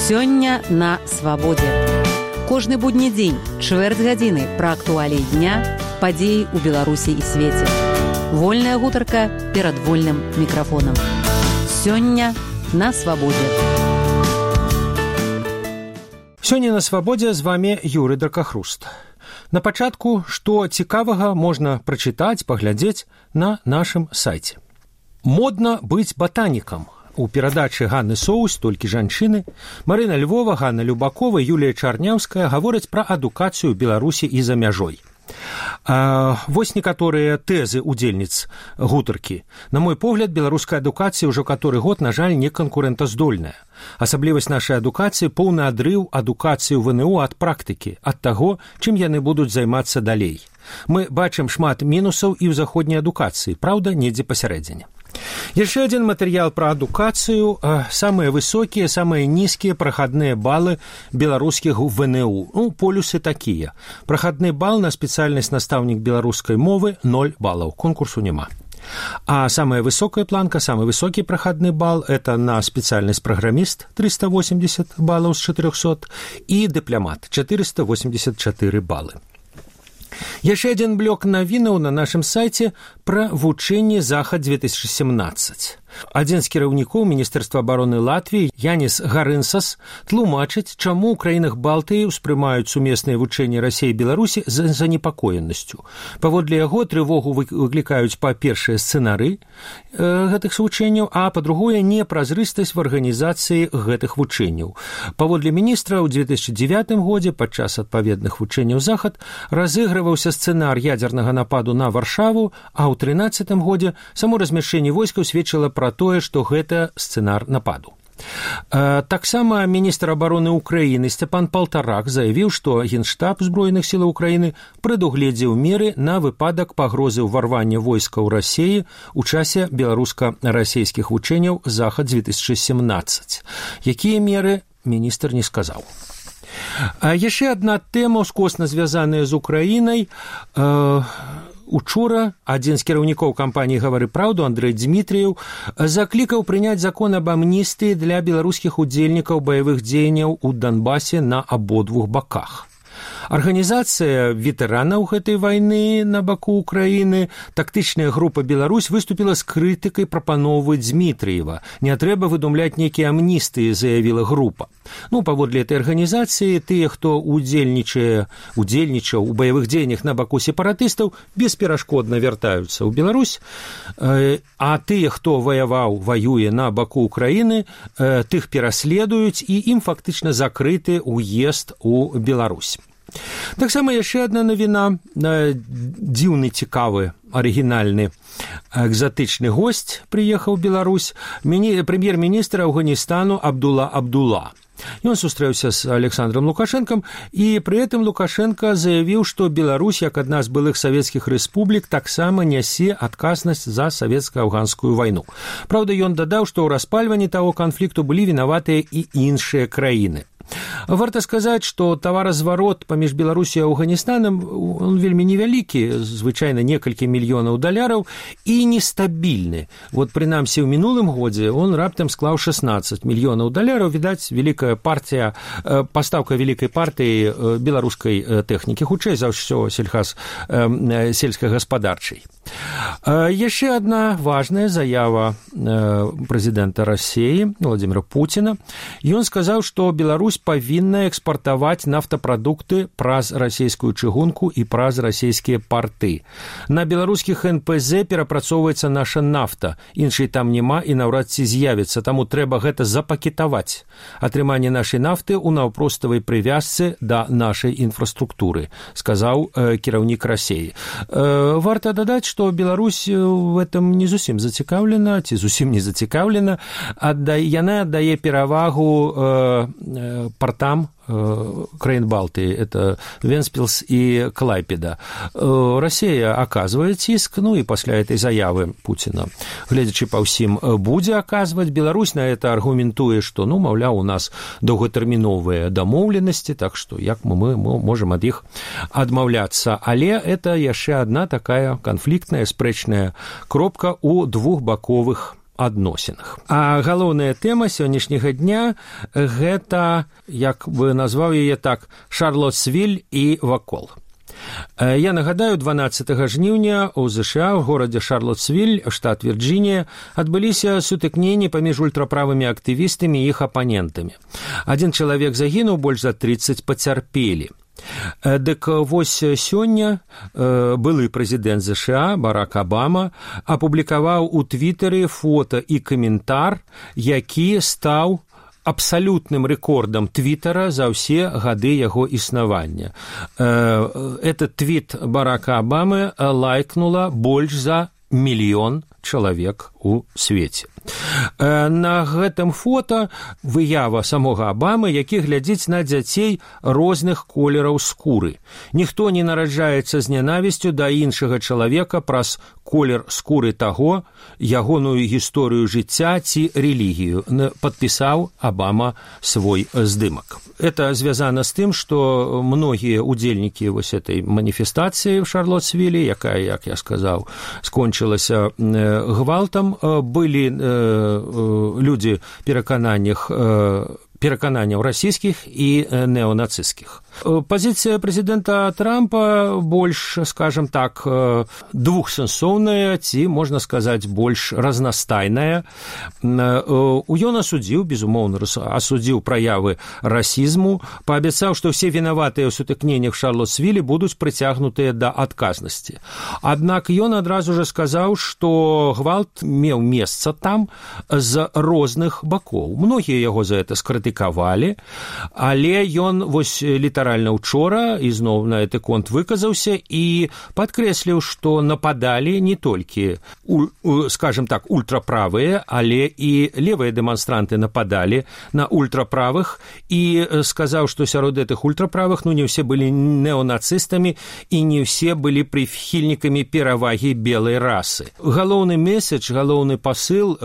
Сёння на свабодзе. Кожны будні дзень, чвэрць гадзіны пра актуаліі дня, падзеі ў Беларусі і свеце. Вольная гутарка перад вольным мікрафонам. Сёння на свабодзе. Сёння на свабодзе з вами Юрый Дракахруст. На пачатку, што цікавага можна прачытаць, паглядзець на нашым сайце. Модна быць батанікам. У перадачы Ганны Соус, толькі жанчыны, Марына Львова, Ганна Любакова, Юлія Чарняўская гавораць пра адукацыю ў Беларусі і за мяжой. Вось некаторыя тэзы удзельніц гутаркі. На мой погляд, беларуская адукацыя ўжо каторы год, на жаль, не канкурэнтаздольная. Асаблівасць нашай адукацыі – поўны адрыў адукацыі ў ВНУ ад практыкі, ад таго, чым яны будуць займацца далей. Мы бачым шмат мінусаў і ў заходняй адукацыі, праўда, недзе пасярэдзіне. Яшчэ адзін матэрыял пра адукацыю, самыя высокія, самыя нізкія прахадныя балы беларускіх ВНУ. Полюсы такія. Прахадны бал на спецыяльнасць настаўнік беларускай мовы 0 балаў, конкурсу няма. А самая высокая планка, самы высокі прахадны бал – это на спецыяльнасць праграміст 380 балаў з 400 і дыпламат 484 балы. Яшчэ адзін блок навінаў на нашым сайце пра вучэнне Захад-2017. Адзін з кіраўнікоў Міністэрства абароны Латвіі, Янис Гарынсас, тлумачыць, чаму ў краінах Балтыі ўспрымаюць сумесныя вучэнні Расіі і Беларусі з занепакоенасцю. Паводле яго трывогу выклікаюць па-першае сцэнары гэтых вучэнняў, а па-другое непразрыстасць в арганізацыі гэтых вучэнняў. Паводле міністра, ў 2009 годзе падчас адпаведных вучэнняў Захад разыгрываўся сцэнар ядзернага нападу на Варшаву, а ў 2013 годзе само размяшчэнне войскаў сведчыла пра тое, што гэта сцэнар нападу. Таксама міністр абароны Украіны Сцяпан Палтарак заявіў, што Генштаб Збройных сілаў Украіны прадугледзеў меры на выпадак пагрозы ўварвання войскаў Расіі ў часе беларуска-расійскіх вучэнняў Захад-2017. Якія меры, міністр не сказаў. Яшчэ адна тэма ўскосна звязаная з Украінай. Учора адзін з кіраўнікоў кампаніі «Гавары праўду» Андрэй Дзмітрыеў заклікаў прыняць закон аб амністыі для беларускіх удзельнікаў баявых дзеянняў у Донбасе на абодвух баках. Арганізацыя ветэранаў гэтай вайны на баку Украіны, тактычная група «Беларусь» выступіла з крытыкай прапановы Дзмітрыева. Не трэба выдумляць нейкія амністыі, заявіла група. Паводле этой арганізацыі, тыя, хто удзельнічаў у баявых дзеяннях на баку сепаратыстаў, бесперашкодна вяртаюцца ў Беларусь, а тыя, хто воюе на баку Украіны, тых пераследуюць, і ім фактычна закрыты ўезд у Беларусь. Таксама яшчэ адна навіна. Дзіўны, цікавы, арыгінальны, экзатычны госць прыехаў у Беларусь, прэм'ер-міністр Афганістану Абдула. Ён сустрэўся з Александром Лукашэнкам, і пры гэтым Лукашэнка заявіў, што Беларусь, як адна з былых савецкіх рэспублік, таксама нясе адказнасць за савецка-афганскую вайну. Праўда, ён дадаў, што ў распальванні таго канфлікту былі вінаватыя і іншыя краіны. Варта сказаць, што таваразварот паміж Беларусі і Афганістанам он вельмі невялікі, звычайна некалькі мільёнаў даляраў, і нестабільны. Прынамсі, ў мінулым годзе он раптам склаў 16 мільёнаў даляраў. Відаць, пастаўка вялікай партыі беларускай тэхнікі, хутчэй за ўсё сельскагаспадарчай. Яшчэ адна важная заява прэзідэнта Расіі Владзіміра Пуціна. Ён сказаў, што Беларусь павінна экспартаваць нафтапрадукты праз расійскую чыгунку і праз расійскія парты. На беларускіх НПЗ перапрацоўваецца наша нафта, іншай там няма і наўрад ці з'явіцца, таму трэба гэта запакетаваць. Атрыманне нашай нафты ў наўпроставай прывязцы да нашай інфраструктуры, сказаў кіраўнік Расіі. Варта дадаць, што Беларусь в этом не зусім зацікаўлена, ці зусім не зацікаўлена. Яна аддае перавагу партам краін Балтыі, это Венспілс і Клайпеда. Расія аказвае ціск, і пасля этой заявы Пуціна, гледзячы па ўсім, будзе аказваць. Беларусь на это аргументуе, што, маўляў, у нас доўгатэрміновыя дамоўленасці, так што як мы можам ад іх адмаўляцца. Але это яшчэ адна такая канфліктная, спрэчная кропка ў двухбаковых адносінах. А галоўная тэма сённяшняга дня – гэта, як бы назваў яе так, Шарлоттсвіль і вакол. Я нагадаю, 12 жніўня ў ЗША, у горадзе Шарлоттсвіль, штат Вірджынія, адбыліся сутыкненні паміж ультраправымі актывістамі і іх апанентамі. Адзін чалавек загінуў, больш за 30 пацярпелі. Дык вось сёння былы прэзідэнт ЗША Барак Абама апублікаваў у Твітары фота і каментар, які стаў абсалютным рэкордам Твітара за ўсе гады яго існавання. Этот твіт Барака Абамы лайкнула больш за 1 мільён чалавек у свеце. На гэтым фота выява самога Абамы, які глядзіць на дзяцей розных колераў скуры. Ніхто не нараджаецца з нянавісцю да іншага чалавека праз колер скуры таго, ягоную гісторыю жыцця ці рэлігію, падпісаў Абама свой здымак. Это звязана з тым, што многія удзельнікі вось этой маніфестацыі в Шарлоттсвілі, якая, як я сказаў, скончылася гвалтам, былі людзі перакананняў расійскіх і неонацысцкіх. Пазіцыя прэзідэнта Трампа больш, скажем так, двухсэнсоўная, ці, можна сказаць, больш разнастайная. Ён асудзіў, безумоўна, асудзіў праявы расізму, паабяцаў, што ўсе вінаватыя ў сутыкненнях Шарлоттсвілі будуць прыцягнутыя да адказнасці. Аднак ён адразу жа сказаў, што гвалт меў месца там з розных бакоў. Многія яго за гэта скрытыкавалі, але ён вось літаральна учора ізноў на гэты конт выказаўся і падкрэсліў, што нападалі не толькі, скажем так, ультраправыя, але і левыя дэманстранты нападалі на ультраправых і сказаў, што сярод гэтых ультраправых не ўсе былі неонацыстамі і не ўсе былі прыхільнікамі перавагі белай расы. Галоўны месседж, галоўны пасыл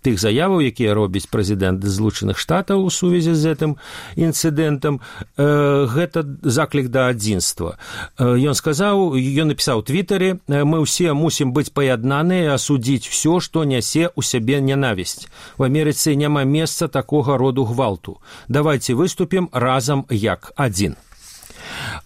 тых заяваў, якія робіць прэзідэнт Злучаных Штатаў у сувязі з гэтым інцыдэнтам, гэта заклік да адзінства. Ён напісаў у Твітары: «Мы ўсе мусім быць паяднаныя, асудзіць усё, што нясе ў сябе нянавісць. В Амерыцы няма месца такога роду гвалту. Давайце выступім разам як адзін».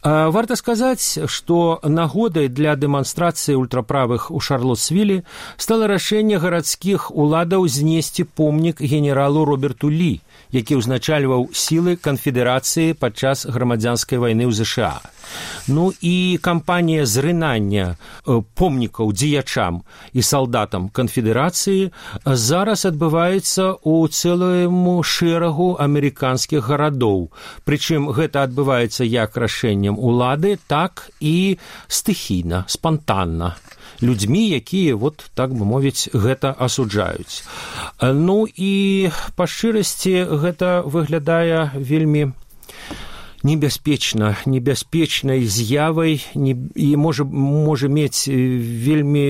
Варта сказаць, што нагодай для дэманстрацыі ультраправых у Шарлоттсвілі стала рашэнне гарадскіх уладаў знесці помнік генералу Роберту Лі, які ўзначальваў сілы канфедэрацыі падчас грамадзянскай вайны ў ЗША. І кампанія зрынання помнікаў дзеячам і салдатам канфедэрацыі зараз адбываецца ў цэлым шэрагу амерыканскіх гарадоў. Прычым гэта адбываецца як рашэннем улады, так і стыхійна, спантанна. Людзьмі, якія, так бы мовіць, гэта асуджаюць. І па шчырасці гэта выглядае вельмі небяспечнай з'явай і можа мець вельмі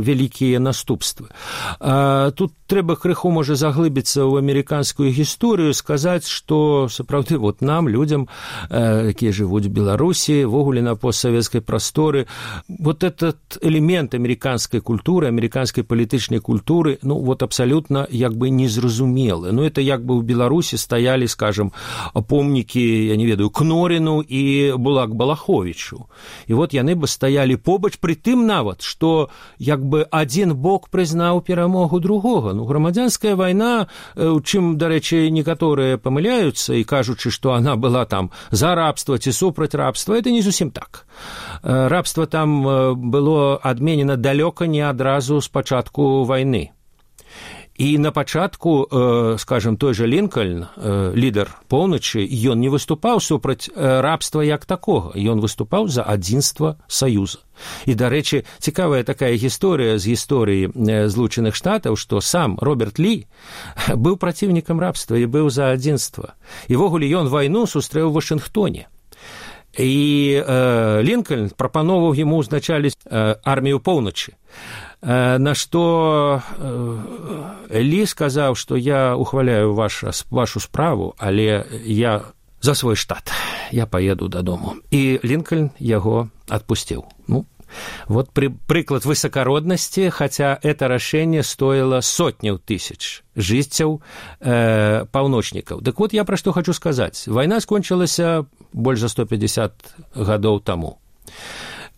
вялікія наступствы. Тут трэба крыху, можа, заглыбіцца ў амерыканскую гісторыю, сказаць, што сапраўды нам, людзям, якія жывуць у Беларусі, ввогуле на постсавецкай прасторы, этот элемент амерыканскай культуры, амерыканскай палітычнай культуры, абсалютна як бы незразумелы. Это як бы ў Беларусі стаялі, скажем, помнікі, я не ведаю, Кноріну і Булак Балаховічу. І яны бы стаялі побач, пры тым нават, што як бы адзін бок прызнаў перамогу другога. Грамадзянская вайна, у чым, дарэчы, некаторыя памыляюцца і кажучы, што она была там за рабства ці супраць рабства, это не зусім так. Рабства там было адменена далёка не адразу з пачатку вайны. І на пачатку, скажем, той жа Лінкальн, лідар поўначы, ён не выступаў супраць рабства як такога, ён выступаў за адзінства Саюза. І, дарэчы, цікавая такая гісторыя з гісторыі Злучаных Штатаў, што сам Роберт Лі быў праціўнікам рабства і быў за адзінства. І ввогуле ён вайну сустрэў у Вашынгтоне. І Лінкальн прапановаў яму ўзначаліць армію поўначы. На што Лі сказаў, што я ухваляю вашу справу, але я за свой штат, я паеду дадому. І Лінкальн яго адпусціў. Вот прыклад высокороднасці, хаця это рашэнне стоіла сотняў тысяч жыццяў паўночнікаў. Дык вот я пра што хачу сказаць. Вайна скончылася больш за 150 гадоў таму.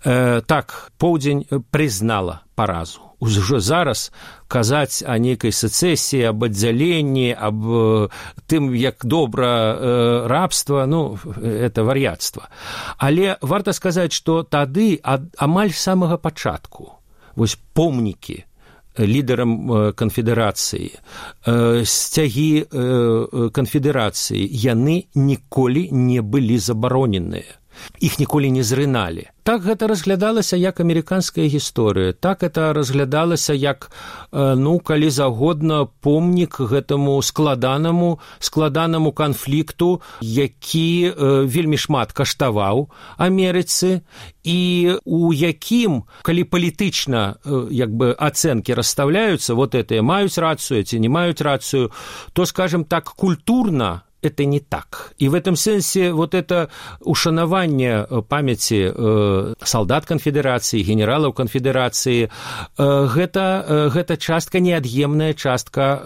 Так, поўдзень прызнала паразу. Ужо зараз казаць о нейкай сецэсіі, аб аддзяленні, аб тым, як добра рабства, ну, это вар'яцтва. Але варта сказаць, што тады амаль з самага пачатку вось помнікі лідарам канфедэрацыі, сцягі канфедэрацыі, яны ніколі не былі забароненыя. Іх ніколі не зрыналі. Так гэта разглядалася як амерыканская гісторыя, так это разглядалася як, ну, калі загодна, помнік гэтаму складанаму канфлікту, які вельмі шмат каштаваў Амерыцы, і у якім, калі палітычна як бы ацэнкі расстаўляюцца, вот это маюць рацыю, ці не маюць рацыю, то, скажем так, культурна это не так. И в этом сенсе вот это ушанаванне памяці солдат конфедерации, генералов конфедерации, гэта частка, неад'емная частка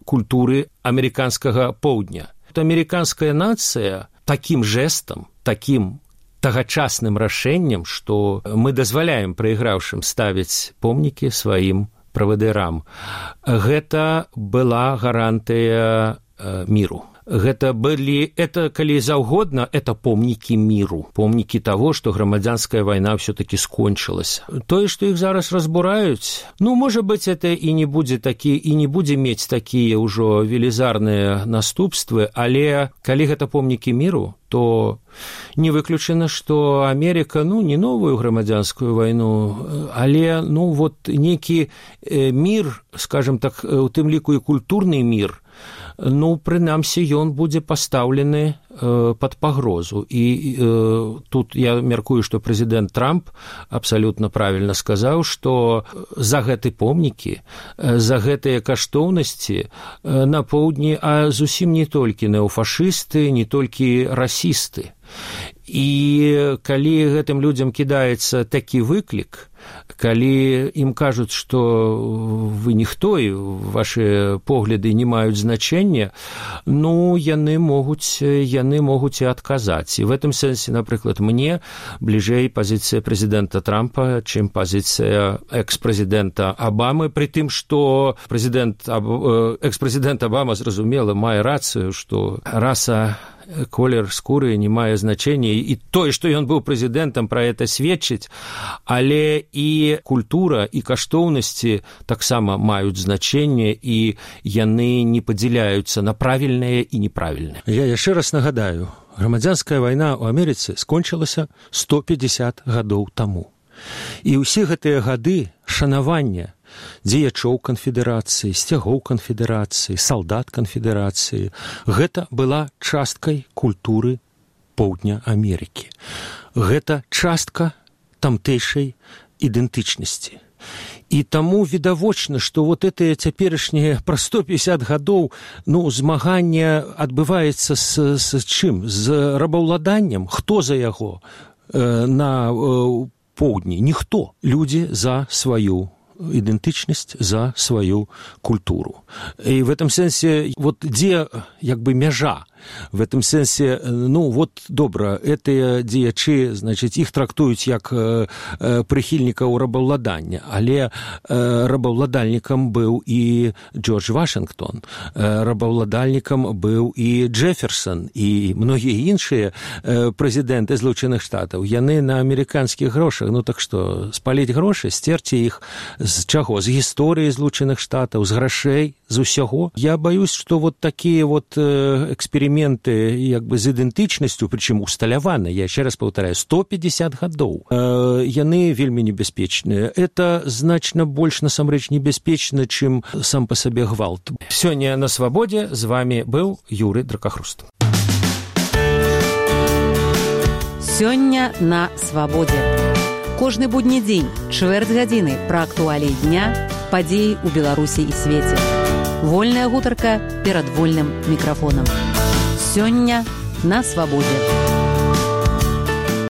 культуры американскага поўдня. Американская нация таким жестом, таким тагачасным рашэннем, што мы дазваляем прайграўшым ставіць помнікі сваім правадырам, гэта была гарантыя міру. Это, калі заўгодна, это помнікі міру, помнікі таго, што грамадзянская вайна ўсё-такі скончылася. Тое, што іх зараз разбураюць, ну, можа быць, это і не будзе мець такія ўжо велізарныя наступствы, але калі гэта помнікі міру, то не выключана, што Амерыка, ну, не новую грамадзянскую вайну, але, ну, вот нейкі мір, скажем так, у тым ліку і культурны мір, ну, прынамсі, ён будзе пастаўлены пад пагрозу. І тут я мяркую, што прэзідэнт Трамп абсалютна правільна сказаў, што за гэты помнікі, за гэтыя каштоўнасці на поўдні, а зусім не толькі неофашысты, не толькі расісты. І калі гэтым людзям кідаецца такі выклік, калі ім кажуць, што вы ніхто і ваши погляды не маюць значэння, ну, яны могуць і адказаць. І в этом сэнсе, напрыклад, мне бліжэй пазіцыя прэзідэнта Трампа, чым пазіцыя экс-прэзідэнта Абамы, пры тым, што экс-прэзідэнт Абама, зразумела, мае рацыю, што раса, колер скуры не мае значэння, і тое, што ён быў прэзідэнтам, пра гэта сведчыць, але і культура, і каштоўнасці таксама маюць значэнне, і яны не падзяляюцца на правільнае і неправільнае. Я яшчэ раз нагадаю, грамадзянская вайна ў Амерыцы скончылася 150 гадоў таму. І ўсе гэтыя гады шанавання дзеячоў канфедэрацыі, сцягоў канфедэрацыі, салдат канфедэрацыі, гэта была часткай культуры поўдня Амерыкі. Гэта частка тамтэйшай ідэнтычнасці. І таму відавочна, што вот гэтыя цяперашнія пра 150 гадоў, ну, змаганне адбываецца з чым? З рабаўладаннем? Хто за яго на поўдні? Ніхто. Людзі за сваю ідэнтычнасць, за сваю культуру. І в этом сэнсе, вот дзе, як бы, мяжа? В этом сэнсе, ну, вот, добра, гэтыя дзеячы, значыць, іх трактуюць як прыхільнікаў рабаўладання, але рабаўладальнікам быў і Джордж Вашынгтон, рабаўладальнікам быў і Джэферсон, і многія іншыя прэзідэнты Злучаных Штатаў. Яны на амерыканскіх грошах, ну, так што, спаліць грошы, сцерці іх з чаго? З гісторыі Злучаных Штатаў, з грашэй, з усяго. Я баюсь, што вот такія вот эксперыменты, як бы, з ідэнтычнасцю, прычым усталяваны, я яшчэ раз паўтараю, 150 гадоў, яны вельмі небяспечныя. Это значна больш, насамрэч, небяспечна, чым сам па сабе гвалт. Сёння на Свабодзе з вами быў Юры Дракахруст. Сёння на Свабодзе. Кожны будні дзень, чвэрць гадзіны пра актуаліі дня, падзеі ў Беларусі і свеце. Вольная гутарка перад вольным мікрафонам. Сёння на Свабодзе.